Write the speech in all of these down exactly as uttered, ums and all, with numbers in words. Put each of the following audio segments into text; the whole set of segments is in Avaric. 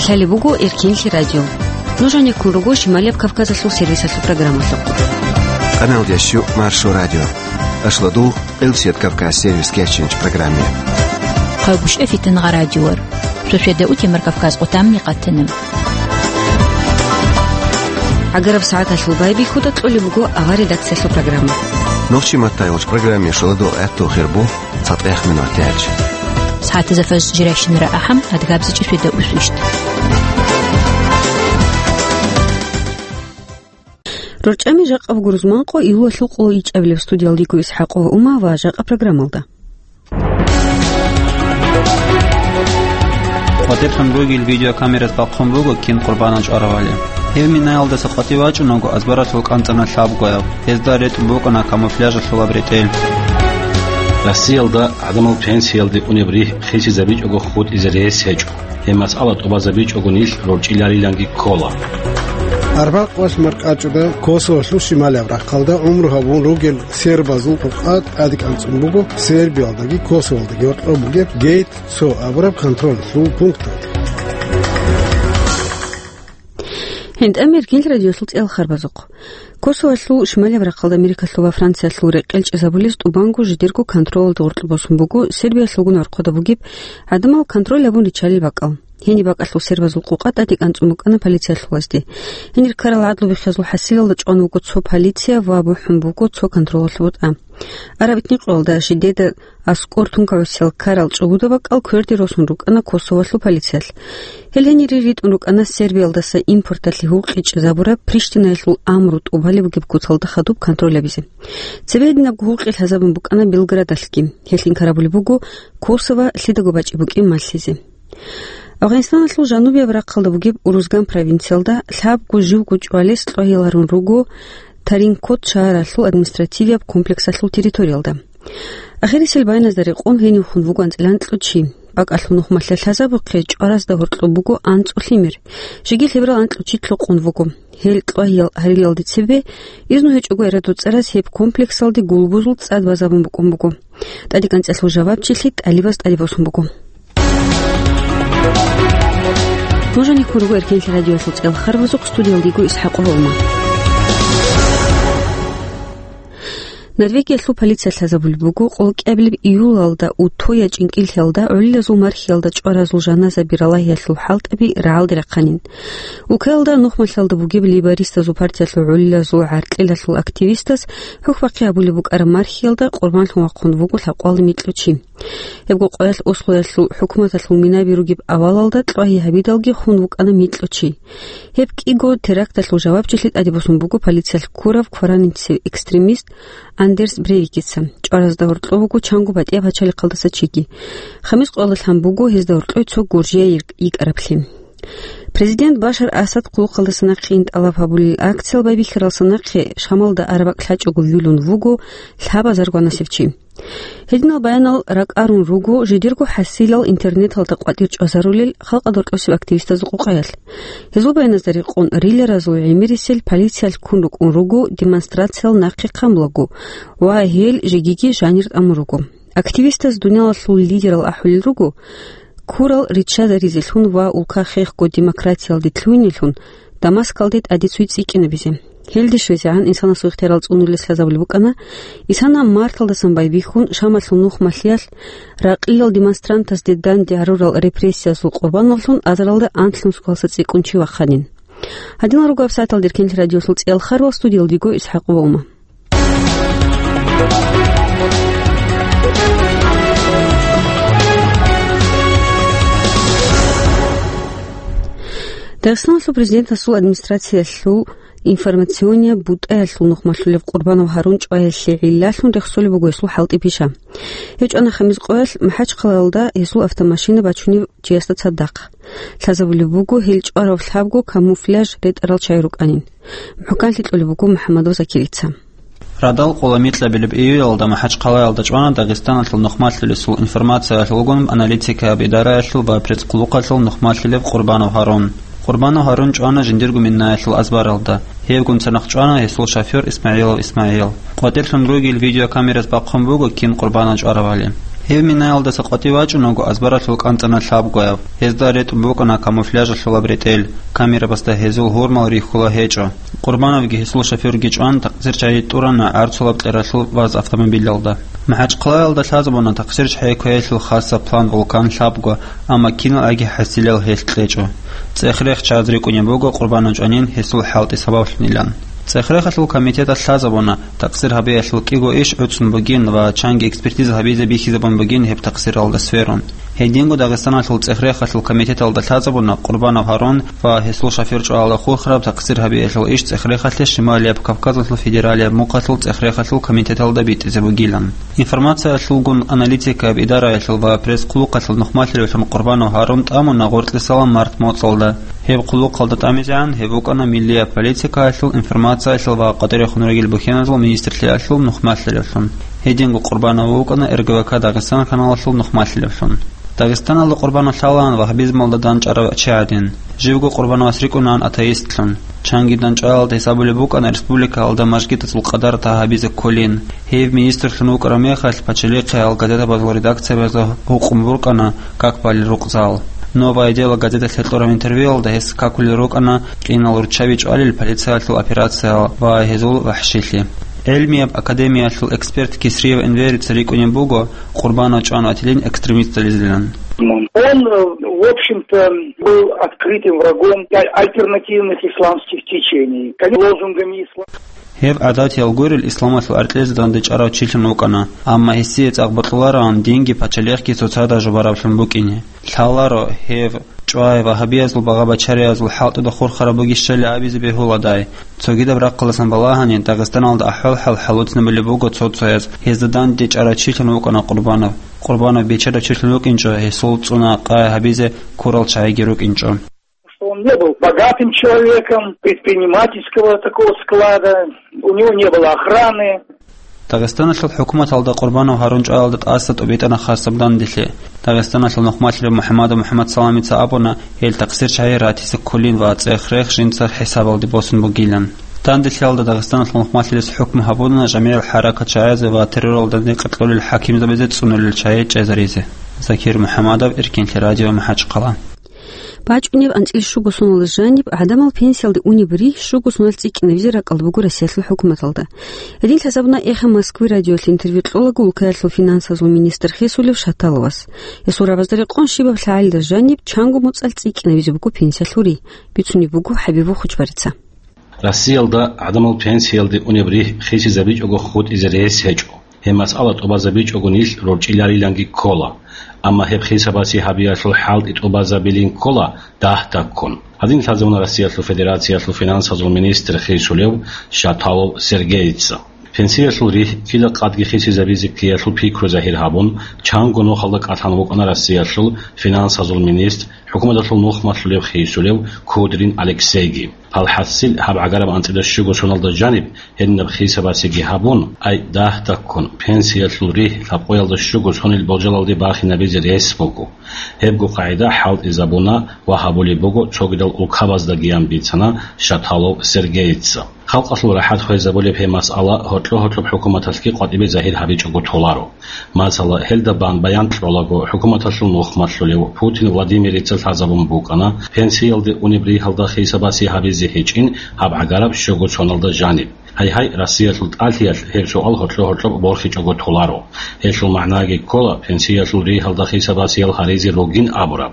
Гьале буго Эркенлъи радио. Нуж гьанеккун руго Шималияб Кавказалъул сервисалъул программалъухъ. Къаналдящу Маршо радио. Ашладул Къилсият Кавказ сервис кечинч программе. Хъагушев Фитнагъа радиор. Шошеда утемар Кавказ къутамни къатана. Агараб сагӀаталъул байбихьуда кьолеб буго авар редакциялъул программа. Нохчи маттайгъуч программе шоладул гӀатту хирбу. ЦатӀех минутаялъ. СагӀатазда фаж жирайщинара ахӀам, адгабзичӀеб шведа усвищ. РорчӀами жакъа буго рузманкъо июлалъул къоло ичӀабилеб. Студиялдего ИсхӀакъова Ума ва жакъа программалда. КъватӀирлъун ругел видеокамерас бахъун буго кин къурбанал чӀваравали. Гьев Минаялдаса къватӀив вачӀунаго азбаралъул кӀанцӀана лъабгояб. Гьезда ретӀун букӀана камуфляжалъулаб ретӀел. Россиялда гӀадамал пенсиялде унеб ригь хисизабичӀого хутӀизе рес гьечӀо. Гьеб масъала тӀубазабичӀого нилъ рорчӀилариланги ккола. Арбакъ валъ маркӀачӀуда Косоволъул шималияб рахъалда гӀумру гьабун ругел сербазул къукъа тӀаде кӀанцӀун буго Сербиялдаги Косоволдаги гьоркьоб бугеб гейт цо абураб контролалъул пункталда. ГьентӀа Эркенлъи радиолъул цӀел харбазухъ. Косоволъул шималияб рахъалда Америкалъул ва Франциялъул рекъел чӀезабулез тӀубанго жидерго контролалда гъоркье босун буго Сербиялъулгун гӀорхъода бугеб гӀадамал контроль гьабун риччалел бакӀал. Гьениб бакӀалъул сербазул къукъа тӀаде кӀанцӀун букӀана полициялъулазде. Гьенир ккарал гӀадлу биххиязул хӀасилалда чӀван вуго цо полиция ва бухӀун буго цо контролалъул бутӀа. Араб этникъоялда жидеда аскӀор тункагӀусиял ккарал чӀугуда бакӀал кверде росун рукӀана Косоволъул полициялъ. Гьел гьенире ритӀун рукӀана Сербиялдаса импорталъе гьукъичӀезабураб Приштинаялъул амру тӀубалеб бугеб куцалда хадуб контроль гьабизе. Цебе гьединабго гьукъи лъазабун букӀана Белградалъги. Гьелъ инкарабулеб буго Косово лъидаго бачӀи букӀин малъизе. Афганистаналъул жанубияб рахъалда бугеб Урузган провинциялда лъабго живго чӀвалес кьвагьал гьарун руго Таринкот шагьаралъул административияб комплексалъул территориялда. Ахирисел баяназда рекъон гьенив хун вуго анцӀила анкьго чи. БакӀалъул нухмалъа лъазабухъе чӀваразда гьоркьоб буго анцӀго лъимер. Жеги лъеберал анкьго чи лъукъун вуго. Гьел кьвагьал гьарилалде цебе изну гьечӀого эрадул цӀараз гьеб комплексалде гулбузул цӀад базабун букӀун буго. ТӀадекӀанцӀалъул жавабчилъи тӀалибаз тӀаде босун буго. Нуж гьанеккун руго Эркенлъи радиоялъул цӀел харбазухъ, студиялдего ИсхӀакъова Ума. Норвегиялъул полиция лъазабулеб буго, къолкӀабилеб июлалда Утоя чӀинкӀиллъиялда гӀолилазул мархиялда чӀваразул жаназаби ралагьиялъул хӀалтӀаби рагӀалде рахъанин. Улкаялда нухмалъалда бугеб лейбористазул партиялъул гӀолилазул гӀаркьилалъул активистас хӀухьбахъи гьабулеб букӀараб мархиялда къурбанлъун вахъун вуго лъабкъоялда микьго чи. Гьебго къоялъ Ослоялъул хӀукуматалъул минаби ругеб авалалда кьвагьи гьабидалги хун вукӀана микьго чи. Гьеб кӀиго теракталъул жавабчилъи тӀаде босун буго полициялъ ккурав кваранинцев экстремист Андерс Брейвикица. ЧӀваразда гьоркьов вуго чанго батӀияб пачалихъалдаса чиги. Хамис къоялда лъан буго гьезда гьоркьой цо гуржияй йикӀараблъи. Президент Башар Асад хъулухъалдаса нахъе ин тӀалаб гьабулел акциял байбихьаралдаса нахъе Шамалда араб бакӀ лъачӀого вилун вуго лъабазарго гьанасев чи. Гьединал баянал ракӀарун руго жидерго хӀасилал интернеталда къватӀир чӀвазарулел халкъалда рокьосеб активистазул къукъаялъ. Гьезул баяназда рекъон риларазул гӀемерисел полициялъ ккун рукӀун руго демонстрациял нахъе хъамулаго ва гьел жегиги жанир тӀамун руго. Активистаз дуниялалъул лидерал ахӀулел руго, ккурал риччазаризелъун ва улка хехго демократиялде лъугьинелъун Дамаскалде тӀаде цуй цӀикӀкӀинабизе. Гьелде щвезегӀан инсанасул ихтиярал цӀунулес лъазабулеб букӀана, инсанаб марталдасан байбихьун Шамалъул нухмалъиялъ ракъиял демонстрантазде данде гьарурал репрессиязул къурбаналлъун азаралда анлънусго гьалса цӀикӀкӀун чи вахъанин. Гьадинал руго гьабсагӀаталда Эркенлъи радиолъул цӀел харвал, студиялдего ИсхӀакъова Ума. Дагъистаналъул президентасул администрациялъул информационияб бутӀаялъул нухмалъулев Къурбанов Гьарун чӀваялъе гӀиллалъун рехсолеб буго гьесул хӀалтӀи-пиша. Гьев чӀвана Хамис къоялъ МахӀачхъалаялда гьесул автомашина бачунев чиясда цадахъ. Лъазабулеб буго гьел чӀварав лъабго камуфляж ретӀарал чагӀи рукӀанин. МухӀканлъи кьолеб буго МухӀаммадов Закирица. Радал къола микьабилеб июлалда МахӀачхъалаялда чӀвана Дагъистаналъул нухмалъулесул информациялъулгун аналитикаяб идараялъул бапрецц хъулухъалъул нухмалъулев Къурбанов Гьарун. Къурбанов Гьарун чӀвана жиндирго минаялъул азбаралда. Гьевгун цадахъ чӀвана гьесул шофер ИсмагӀилов ИсмагӀил. КъватӀирлъун ругел видеокамерас бахъун буго кин къурбанал чӀваравали. Гьев минаялдаса къватӀив вачӀунаго, азбаралъул кӀанцӀана лъабгояб. Гьезда ретӀун букӀана камуфляжалъулаб ретӀел, камерабазда гьезул гьурмал рихьула гьечӀо. Къурбановги гьесул шофёрги чӀван, такъсирчагьи тӀурана гӀарцулаб кьералъул ВАЗ автомобилалда. МахӀачхъалаялда лъазабуна такъсирчагьи кквеялъул хасаб план «Вулкан» лъабго, амма киналги хӀасилал гьелъ кьечӀо. ЦӀех-рех чияз рикӀкӀунеб буго Къурбанов чӀванин гьесул хӀалтӀи сабаблъунилан. ЦӀех-рехалъул комитеталъ лъазабуна, такъсир гьабиялъул кӀиго иш гӀуцӀун бугин ва чанги экспертиза гьабизе бихьизабун бугин гьеб такъсиралда сверун. Гьединго Дагъистаналъул цӀех-рехалъул комитеталда лъазабуна Къурбанов Гьарун ва гьесул шофёр чӀваялда хурхараб такъсир гьабиялъул иш цӀех-рехалъе Шималияб Кавказалъул федералияб мухъалъул цӀех-рехалъул комитеталда битӀизе бугилан. Информациялъулгун аналитикаяб идараялъул ва пресс-хъулухъалъул нухмалъилевлъун Къурбанов Гьарун тӀамуна гъоркьесала март моцӀалда. Гьеб хъулухъалда тӀамизегӀан гьеб букӀана миллияб политикаялъул, информациялъул ва къватӀирехун ругел бухьеназул министрлъиялъул нухмалъилевлъун. Гьединго Къурбанов вукӀана РГВК Дагъистан каналалъул нухмалъилевлъун. Дагъистаналда Къурбанов лъалаан вагьабизмалда дандчӀварав чи гӀадин. Живго Къурбановас рикӀкӀунаан атеистлъун. Чанги дандчӀваялда гьесабулеб букӀана республикаялда мажгитазул къадарта гьабизе кколин. Гьев министрлъун вукӀараб мехалъ, пачалихъе гьал газетабазул редакциябазда гьукъун букӀана как балел рукъзал. «Новое дело» газеталъе кьураб интервьюялда гьес какулел рукӀана кьинал руччаби чӀвалел полициялъул операциял ва гьезул вахӀшилъи. ГӀилмияб академиялъул эксперт Кисриев Энверица рикӀкӀунеб буго Къурбанов чӀван ватилин экстремистализилан. Он, э, в общем-то, был открытым врагом аль-, альтернативных исламских течений. Конечно, лозунгами ислама. Гьев гӀадатиял гурел исламалъул аркьезе дандчӀварав чилъун вукӀана, амма гьесие цӀакъ бокьулароан динги пачалихъги цоцазда жубараблъун букӀине. Лъаларо гьев чӀвай вагьабиязул багъа-бачариязул хӀалтӀуда хурхараб бугищали абизе бегьуладай. Цогидаб рахъалдасан балагьани, Дагъистаналда ахӀвал-хӀал хӀалуцӀнабулеб буго цо-цояз, гьезда дандчӀварав чилъун вукӀана Къурбанов. Къурбанов бечедав чилъун вукӀинчӀо, гьесул цӀуна-къай гьабизе ккурал чагӀиги рукӀинчӀо. Что он не был богатым человеком, предпринимательского такого склада, у него не было охраны. Дагъистаналъул хӀукуматалда Къурбанов Гьарун чӀваялда тӀаса тӀубитӀана хасаб данделъи. Дагъистаналъул нухмалъилев МухӀамадов МухӀамадсаламица абуна, гьел такъсирчагьи ратизе кколин ва цӀех-рех жинца хӀисабалде босун бугилан. Данделъиялда Дагъистаналъул нухмалъилис хӀукму гьабуна жамигӀал хӀаракатчагӀазе ва терроралда къеркьулел хӀакимзабазе цӀунулел чагӀи чӀезаризе. Закир МухӀамадов, Эркинлъи радио, МахӀачхъала. БачӀунеб анцӀила щуго соналда жаниб гӀадамал пенсиялде унеб ригь щуго соналъ цӀикӀкӀинабизе ракӀалда буго Россиялъул хӀукуматалда. Гьедин лъазабуна эхе Москвы радиоялъе интервью кьолаго улкаялъул финансазул министр хисулев Шаталовас. Гьесул рагӀабазда рекъон щибаб лъагӀалида жаниб чанго моцӀалъ цӀикӀкӀинабизе буго пенсиялъул ригь, бицунеб буго ХӀабибул Хучбарица. Россиялда гӀадамал пенсиялде унеб ригь хисизабичӀого хутӀизе рес гьечӀо. Гьеб масъала тӀубазабичӀого нилъ рорчӀилариланги ккола. Амма гьеб хисабасе гьабиялъул хӀалтӀи тӀубазабилин ккола дагь-дагьккун. Гьадин лъазабуна Россиялъул Федерациялъул финансазул министр хисулев Шаталов Сергейица. Пенсиялъул ригь кида къадги хисизабизе ккеялъул пикру загьир гьабун, чанго нухалда кӀалъан вукӀана Россиялъул финансазул министр, хӀукуматалъул нухмалъулев хисулев Кудрин Алексейги. Гьалхасил гьаб гӀагараб анцӀила щуго соналда жаниб гьединаб хисабасеги гьабун, ай дагь-дагьккун пенсиялъул ригь лъабкъоялда щуго сонил болжалалде бахинабизе рес буго. Гьебго къагӀида хӀалтӀизабуна ва гьабулеб буго цогидал улкабаздагиян бицана Шаталов Сергейица. Халкъалъул рахӀат хвезабулеб гьеб масъала гьоркьо-гьоркьоб хӀукуматалъги къватӀибе загьир гьабичӀого толаро. Масала, гьелда бан баян кьолаго, хӀукуматалъул нухмалъулев Путин Владимирица лъазабун букӀана, пенсиялде унеб ригьалда хисабасе гьабизе гьечӀин гьаб гӀагараб щуго соналда жаниб. Гьайгьай, Россиялъул тӀалъиялъ гьеб суал гьоркьо-гьоркьоб борхичӀого толаро. Гьелъул магӀнаги ккола, пенсиялъул ригьалда хисабасиял гьаризе ругин абураб.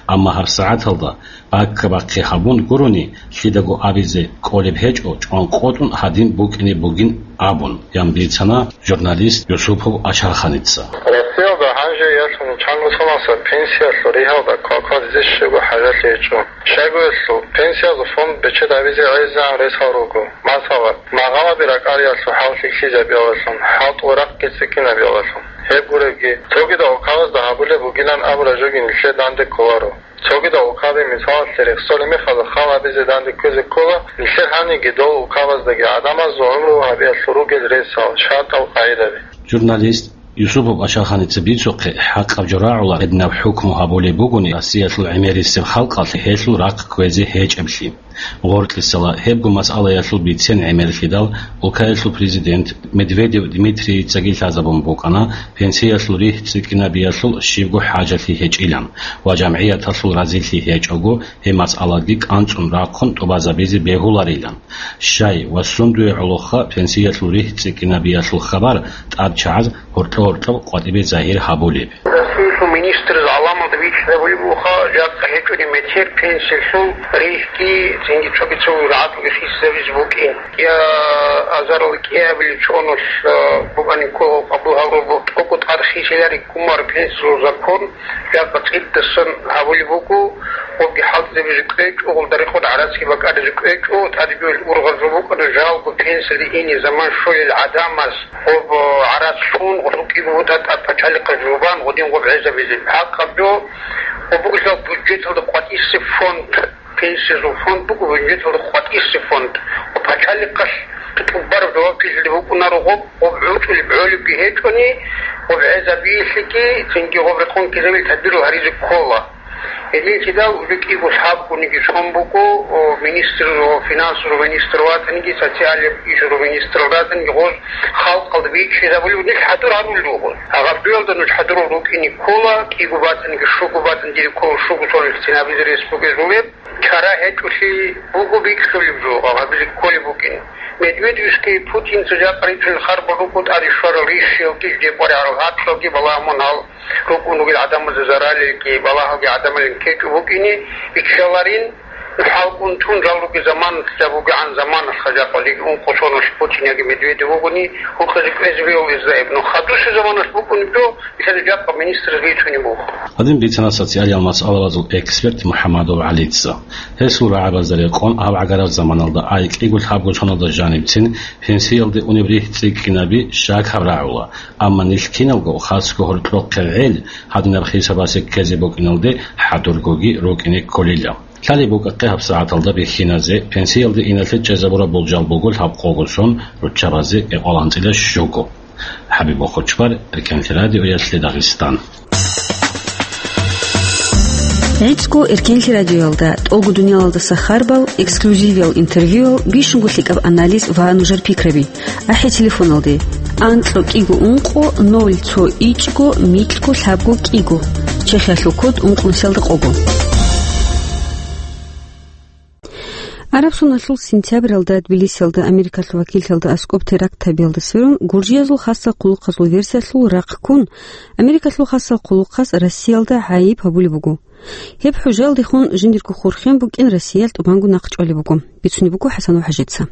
Амма гьабсагӀаталда баккабахъе гьабун гурони, лъидаго абизе кӀолеб гьечӀо, чӀванкъотӀун гьадин букӀине бугин абун, ян бицана журналист Юсупов Ашарханица. Россиялда гьанже яшун чанго соналъ пенсиялъул ригьалда квалквазизе щибго хӀажалъи гьечӀо. Щайгурелъул, пенсиязул фонд бечедабизе гӀезегӀан ресал руго. Масала, магъанаби ракӀариялъул хӀал лъикӀлъизабиялдалъун, хӀалтӀул рахъги цӀикӀкӀинабиялдалъун. Гьеб гуребги, цогидал улкабазда гьабулеб бугилан абураб жоги нилъер данде кколаро. Цогидал улкаби, мисалалъе, рехсолеб мехалда хал гьабизе данде ккезе ккола, нилъер гьаниги дол улкабаздаги гӀадамазул гӀумру гьабиялъул ругел ресал, шартӀал, къагӀидаби. Журналист Юсупов Ашарханица бицухъе, хӀакъаб жо рагӀула, гьединаб хӀукму гьабулеб бугони, Россиялъул гӀемерисеб халкъалъ гьелъул рахъ кквезе гьечӀеблъи. Гъоркьисала гьебго масъалаялъул бицен гӀемерлъидал, улкаялъул президент Медведев Дмитрийицаги лъазабун букӀана пенсиялъул ригь цӀикӀкӀинабиялъул щибго хӀажалъи гьечӀилан ва жамгӀияталъул разилъи гьечӀого, гьеб масъаладги кӀанцӀун рахъун тӀубазабизе бегьуларилан. Щай ва сундуе гӀолохъа пенсиялъул ригь цӀикӀкӀинабиялъул хабар тӀадчагӀаз гьоркьо-гьоркьоб къватӀибе загьир гьабулеб? Расиялъул министраз гӀаламалда бичӀчӀизабулеб буха, жакъа гьечӀони метер пенсиялъул ригьги цинги цоги-цо рагӀаталги хисизабизе букӀин. Я азарал кӀиабилеб чӀоналъ, а, букӀанин ккола къабул гьабураб бугеб тӀокӀго тӀад хисилареб гумар пенсиялъул закон, жакъа цӀидасан гьабулеб буго, гъобги хӀалтӀизабизе кӀвечӀо, гъолда рекъон гӀарацги бакӀаризе кӀвечӀо, тӀаде бегьулел ургъазул букӀана жалго пенсиялде ине заман щолел гӀадамаз. Гъоб гӀарац лъун, гъосул кӀиго бутӀа тӀад пачалихъа жубан, гъодин гъоб гӀезабизе. ХӀакъаб жо, гъоб бугелъул бюджеталда къватӀисеб фонд, пенсиязул фонд буго, бюджеталда къватӀисеб фонд. Гъоб пачалихъалъ тӀубараб жавабчилъиялде букӀунаро гъоб, гъоб гӀучӀулеб гӀолебги гьечӀони, гъоб гӀезабиялъеги, цинги гъоб рекъон ккезабил тадбирал гьаризе ккола. Гьединлъидал уже кӀиго лъабгониги сон буго, о, министр, о, финансул министр ватаниги, социальный ишазул министр ватаниги, гъоз халкъалда бичӀчӀизабулев нилъ хӀадур гьарулел руго. Гьаб жоялда нуж хӀадурал рукӀине ккола, кӀиго батаниги, щуго батан дире ккола, щуго сон цинабизе рес бугезулеб. Чара гьечӀолъи буго бикьулеб жо, гьабизе кколеб букӀин. Медведевский Путинца жакъа рицунел харбал рукӀун тӀаде щварал рищиялги, жидер къваригӀарал гьакълъалги балагьун гьал рукӀун ругел гӀадамазда заралилги балагьалги гӀадамалин кечӀо букӀине, иччаларин, хӀалкӀун тун жал ругел заманалъ, жаб бугегӀан заманалъ, жакъа лиги ункъо соналъ Путин яги Медведев вугони, гьукъизе кӀвезе бегьулезда гьеб. Ну, хадусеб заманалъ букӀунеб жо, исаде жакъа министраз бицунеб буго. Гьадин бицана социалиял масъалабазул эксперт МухӀамадов ГӀалица. Гьесул рагӀабазда рекъон гьаб гӀагараб заманалда ай кӀиго лъабго соналда жанибцин пенсиялде унеб ригь цӀикӀкӀинаби щакаб рагӀула, амма нилъ киналго хасго гьоркьохъеб гӀел гьадинаб хисабасе ккезе букӀиналде хӀадургоги рукӀине кколила. Лъалеб букӀахъе гьаб сагӀаталда бихьиназе, пенсиялде иналъе чӀезабураб болжал буго лъабкъого сон, руччабазе кӀикъоялда анцӀила щуго. ХӀабиб Бохочбар, Эркенлъи радиоялъе Дагъистан. ГӀицӀго Эркенлъи радиоялда тӀолго дуниялалдаса харбал, эксклюзивиял интервьюял, бищунго лъикӀаб анализ ва нужер пикраби. АхӀи телефоналде: анкьго кӀиго ункъо ноль цо ичӀго микьго лъабго кӀиго. Чехиялъул код ункънусиялда къого. Араб соналъул сентябралда Тбилисиялда Америкалъул вакиллъиялда аскӀоб теракт гьабиялда сверун, гуржиязул хасал хъулухъазул версиялъул рахъ ккун, Америкалъул хасал хъулухъаз Россиялда гӀайиб гьабулеб буго. Гьеб хӀужаялдехун жиндирго хурхен букӀин Россиялъ тӀубанго нахъ чӀвалеб буго. Бицунеб буго ХӀасанов ХӀажица.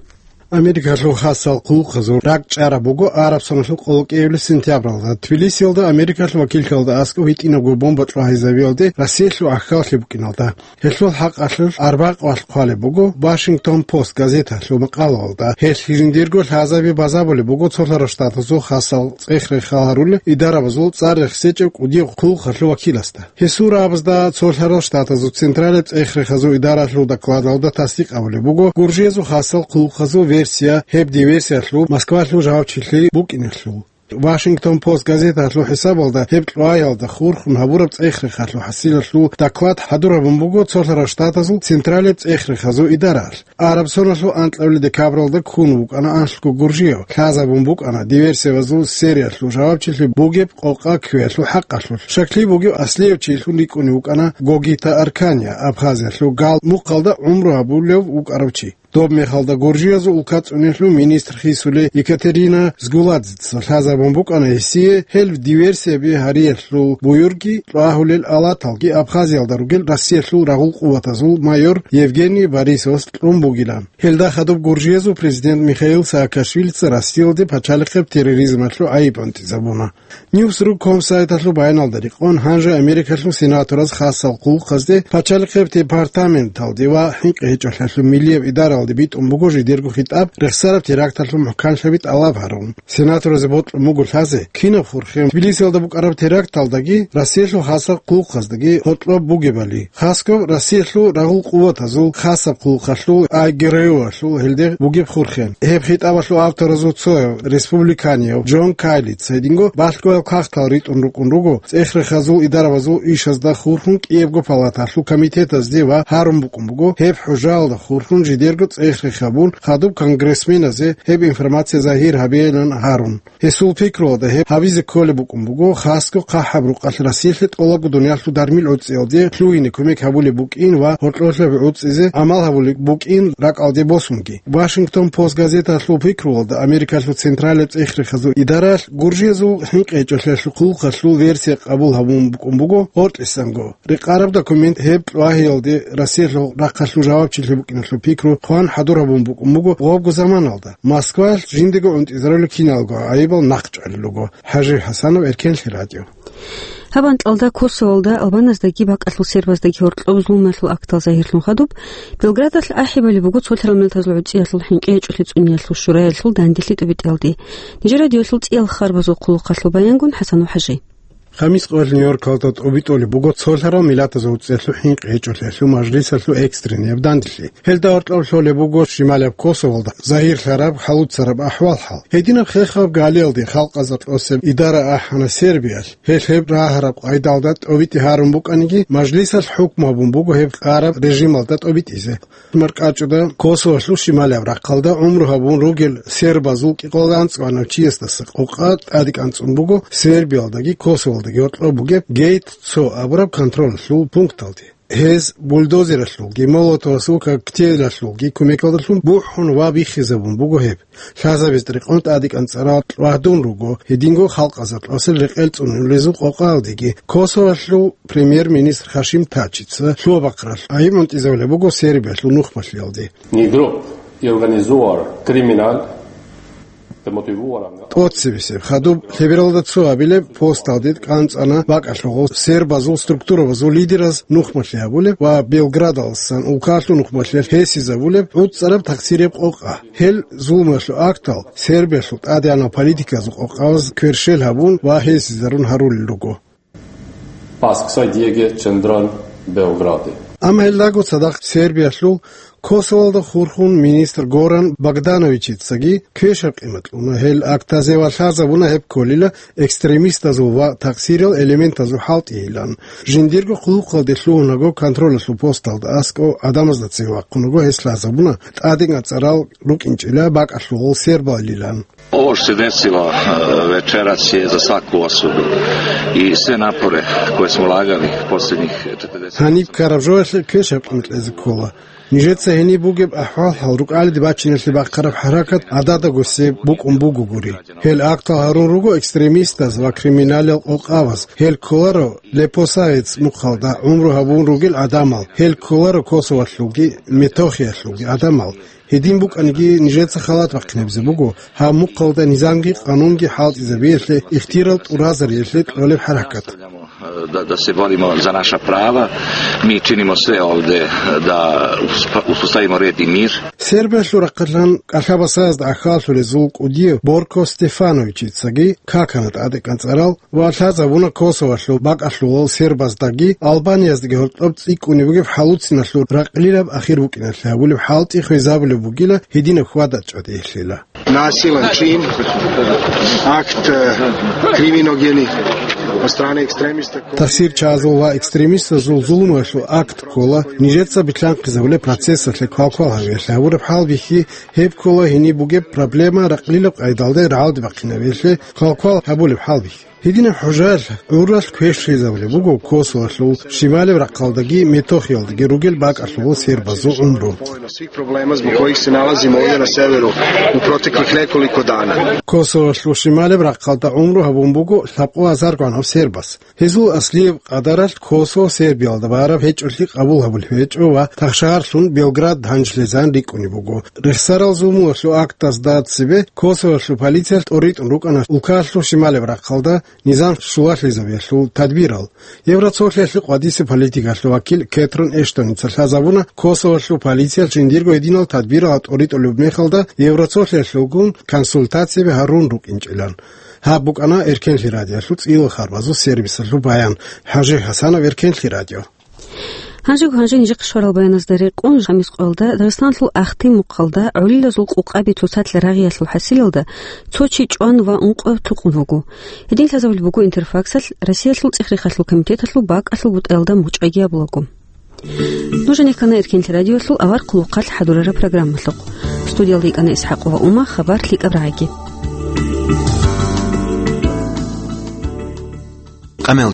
Америкалъул хасал хъулухъазул ракӀ чӀараб буго араб соналъул къоло кӀиабилеб сентябралда. Тбилисиялда Америкалъул вакиллъиялда аскӀоб гьитӀинабго бомба чӀвагӀизабиялде Россиялъул гӀахьаллъи букӀиналда. Гьелъул хӀакъалъулъ арбякъвалъ хъвалеб буго Вашингтон Пост газеталъул макъалаялда. Гьелъ жиндирго лъазаби базабулеб буго цо лъарал штатазул хасал цӀех-рехал гьарулел идарабазул цӀар рехсечӀеб кӀудияб хъулухъалъул вакиласда. Гьесул рагӀабазда цо лъарал штатазул централияб цӀех-рехазул идаралъул докладалда тасдикъ гьабулеб буго гуржиязул хасал хъулухъазул версия, гьеб диверсиялъул Москвалъул жавабчилъи букӀиналъул. Вашингтон Пост газеталъул хӀисабалда, гьеб кьваялда хурхун гьабураб цӀех-рехалъул хӀасилалъул доклад хӀадур гьабун буго цо лъарал штатазул централияб цӀех-рехазул идараялъ. Араб соналъул анкьабилеб декабралда ккун вукӀана анлъго гуржияв, лъазабун букӀана диверсиябазул сериялъул жавабчилъи бугеб къокъа кквеялъул хӀакъалъулъ. Щаклъи бугев аслияв чилъун рикӀкӀунев вукӀана Гогита Аркания, Абхазиялъул Гал мухъалда гӀумру гьабулев вукӀарав чи. Доб мехалда гуржиязул улка цӀунелъул министр хисулей Екатерина Згуладзеца лъазабун букӀана гьесие гьел диверсияби гьариялъул буюрги кьвагьулел алаталги Абхазиялда ругел Россиялъул рагъул къуватазул майор Евгений Борисовас кьун бугилан. Гьелда хадуб гуржиязул президент Михаил Саакашвилица Россиялде пачалихъеб терроризмалъул гӀайиб анцӀизабуна. Ньюсру ком сайталъул баяналда рекъон, гьанже Америкалъул сенатораз хасал хъулухъазде пачалихъеб департаменталде ва хӀинкъи гьечӀолъиялъул миллияб идара битӀун буго жидерго хитӀаб, рехсараб теракталъул мухӀканлъаби тӀалаб гьарун. Сенаторазе бокьун буго лъазе, кинаб хурхен Тбилисиялда букӀараб теракталдаги Россиялъул хасаб хъулухъаздаги гьоркьоб бугебали. Хасго Россиялъул рагъул къуватазул хасаб хъулухъалъул, ай ГРУ-алъул гьелде бугеб хурхен. Гьеб хитӀабалъул авторазул цояв, республиканиев Джон Кайлица, гьединго балъгоял кагътал ритӀун рукӀун руго цӀех-рехазул идарабазул ишазда хурхун кӀиябго палаталъул комитетазде ва гьарун букӀун буго гьеб хӀужаялда хурхун жидерго цӀех-рех гьабун, хадуб конгрессменазе гьеб информация загьир гьабейилан гьарун. Гьесул пикруялда гьеб гьабизе кколеб букӀун буго, хасго хъахӀаб рукъалъ Россиялъе тӀолабго дуниялъул дармил гӀуцӀиялде лъугьине кумек гьабулеб букӀин ва гьоркьолъаб гӀуцӀизе гӀамал гьабулеб букӀин ракӀалде босунги. Вашингтон Пост газеталъул пикруялда Америкалъул централияб цӀех-рехазул идаралъ гуржиязул хӀинкъи гьечӀолъиялъул хъулухъалъул версия къабул гьабун букӀун буго гьоркьисанго. Рекъараб документ гьеб кьвагьиялде Россиялъул рахъалъул жавабчилъи букӀиналъул пикру хъван хӀадур гьабун букӀун буго гъобго заманалда. Москваялъ жиндего гӀунтӀизарулел киналго гӀайибал нахъчӀвалел руго. ХӀажи ХӀасанов, Эркенлъи радио. Гьаб анкьалда Косоволда албаназдаги бакӀалъул сербаздаги гьоркьоб зулмалъул актал загьирлъун хадуб, Белградалъ ахӀи балеб буго цолъарал миллатазул гӀуцӀиялъул хӀинкъи гьечӀолъи цӀуниялъул шуралъул дандилъи тӀубитӀиялде. Нижер радиоялъул цӀиял харбазул хъулухъалъул баянгун ХӀасанов ХӀажи. Хамис къоялъ Нью-Йоркалда тӀубитӀулеб буго цолъарал миллатазул гӀуцӀиялъул хӀинкъи гьечӀолъиялъул мажлисалъул экстренный гьаб дандилъи. Гьелда гьоркьоб лъолеб буго шималияб Косоволда загьирлъараб хӀалуцараб ахӀвал-хӀал. Гьединаб хехаб галиялде халкъазда кьосеб идара ахӀана Сербиялъ. Гьелъ гьеб рагьараб къайдалда тӀубитӀи гьарун букӀаниги, мажлисалъ хӀукму гьабун буго гьеб кьараб режималда тӀубитӀизе. МаркӀачӀуда Косоволъул шималияб рахъалда гӀумру гьабун ругел сербазул кӀикъоялда анцӀгоялда чиясдаса къокъа тӀаде кӀанцӀун буго Сербиялдаги Косоволдаги гьоркьоб бугеб Гейт цо абураб контролалъул пункталде. Гьез бульдозералъулги, молотовасул коктейлалъулги кумекалдалъун бухӀун ва биххизабун буго гьеб. Лъазабиз рекъон тӀаде кӀанцӀарал кьвагьдун руго гьединго халкъазда кьосел рекъел цӀунулезул къокъаялдеги. Косоволъул премьер-министр Хашим Тачица лъугьа-бахъаралъ гӀайиб гӀунтӀизабулеб буго Сербиялъул нухмалъиялде. Ni grup i organizuar kriminal te motivuar. ТӀоцебесеб хадуб лъебералда цо абилеб посталде кӀанцӀана бакӀалъулъ сербазул структурабазул лидераз нухмалъи гьабулеб ва Белградалдасан улкалъул нухмалъиялъ гьесизабулеб гӀуцӀараб тахсирияб къокъа. Гьел зулмуялъул актал Сербиялъул тӀадегӀанал политиказул къокъабаз кверщел гьабун ва гьесизарун гьарулел руго. Pasksa diege qëndron Beogradi. Амма гьелдаго цадахъ Сербиялъул Косоволда хурхун министр Горан Богдановичицаги квешаб къимат кьуна гьел актазе ва лъазабуна гьеб кколила экстремистазул ва такъсирал элементазул хӀалтӀийилан. Жиндирго хъулухъалде лъугьунаго контролалъул посталда аскӀов гӀадамазда цеве вахъунаго гьес лъазабуна тӀадегӀан цӀарал рукӀинчӀила бакӀалъулъ сербалилан. Ovo što se desilo, e, večeras je za svaku osudu i sve napore koje smo ulagali posljednjih četrdeset. Гьаниб ккараб жоялъе квешаб къимат кьезе ккола. Нижеца гьениб бугеб ахӀвал-хӀал рукӀалиде бачиналъе бахъараб хӀаракат гӀададаго себ букӀун бугогури. Гьел актал гьарун руго экстремистаз ва криминалил къокъабаз. Гьел кколаро Лепосовец мухъалда гӀумру гьабун ругел гӀадамал. Гьел кколаро Косоволъулги Метохиялъулги гӀадамал. Гьедин букӀаниги, нижеца халат бахъинабизе буго гьаб мухъалда низамги къанунги хӀалтӀизабиялъе, ихтияр тӀуразариялъе кьолеб хӀаракат. Da, da se borimo za naša prava, mi činimo sve ovde da usp-, uspostavimo red i mir. Сербиялъул рахъалъан кӀалъа-басаязда гӀахьаллъулезул кӀудияв Борко Стефановичицаги какана тӀадегӀан цӀарал ва лъазабуна Косоволъул бакӀалъулал сербаздаги Албанияздаги гьоркьоб цӀикӀкӀунеб бугеб хӀалуциналъул ракълилаб ахир букӀиналъе гьабулеб хӀалтӀи хвезабулеб бугила гьединаб хьвада-чӀвадиялъила. Nasilan čin, akt, e, kriminogeni od strane ekstremista koji Тахсирчагьазул ва экстремистазул зулмуялъул акт ккола нижеца билълъанхъизабулеб процессалъе квалквал гьавиялъе гьабураб хӀалбихьи, гьеб ккола гьениб бугеб проблема ракълилаб къайдалда рагӀалде бахъинабиялъе квалквал гьабулеб хӀалбихьи. Гьединаб хӀужаялъ гӀуралъ квешлъизабулеб буго Косоволъул шималеб рахъалдаги Метохиялдаги ругел бакӀалъулал сербазул гӀумру. Svih problema zbog kojih se nalazimo ovdje na severu u proteklih nekoliko dana. Косоволъул шималеб рахъалда гӀумру гьабун буго лъабкъо азар гванав сербас. Гьезул аслияб къадаралъ Косово Сербиялда бараб гьечӀолъи къабул гьабулеб гьечӀо ва тахшагьарлъун Белград гьанжлезан рикӀкӀунеб буго. Рехсарал зулмуялъул актазда цебе Косоволъул полициялъ тӀоритӀун рукӀана улкалъул шималеб рахъалда Низам щулалъизабиялъул тадбирал. Евроцолъиялъе къватӀиса политикалъул вакил Кэтрин Эштоница лъазабуна, Косоволъул полициялъ жиндирго гьединал тадбирал тӀоритӀулеб мехалда Евроцолъиялъулгун консультацияби гьарун рукӀинчӀилан. Гьаб букӀана Эркенлъи радиоялъул цӀийил харбазул сервисалъул баян. ХӀажи ХӀасанов, Эркенлъи радио. Гьанжего гьанже нижехъе щварал баяназда рекъон, хамис къоялда Дагъистаналъул Ахтим мухъалда гӀолилазул къукъаби цоцалъ рагъиялъул хӀасилалда цо чи чӀван ва ункъо тукъун вуго. Гьедин лъазабулеб буго Интерфаксалъ Россиялъул ЦӀехрехалъул комитеталъул бакӀалъул бутӀаялда мухӀчӀайги абулаго. Нуж гьанихъана Эркенлъи радиоялъул авар хъулухъалъ хӀадурараб программалъухъ. Студиялда йикӀана ИсхӀакъова Ума, хабар лъикӀаб рагӀиги. Къамел